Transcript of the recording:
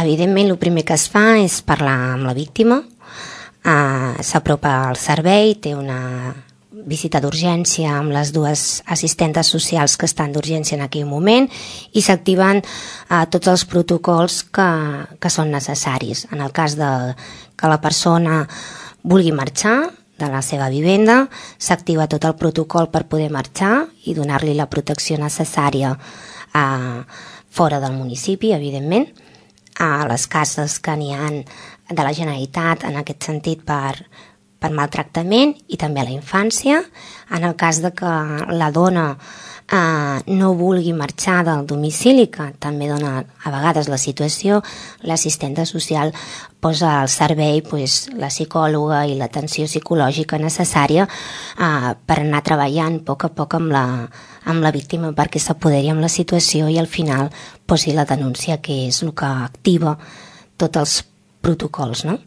Evidentment, el primer que es fa és parlar amb la víctima, s'apropa al servei, té una visita d'urgència amb les dues assistentes socials que estan d'urgència en aquell moment i s'activen tots els protocols que són necessaris. En el cas de que la persona vulgui marxar de la seva vivenda, s'activa tot el protocol per poder marxar i donar-li la protecció necessària fora del municipi, evidentment, a les cases que n'hi ha de la Generalitat en aquest sentit per maltractament i també a la infància. En el cas de que la dona no vulgui marxar del domicili, que també dona a vegades la situació, l'assistenta social posa al servei la psicòloga i l'atenció psicològica necessària per anar treballant a poc amb la víctima perquè s'apoderi amb la situació i al final posi la denúncia, que és el que activa tots els protocols, no?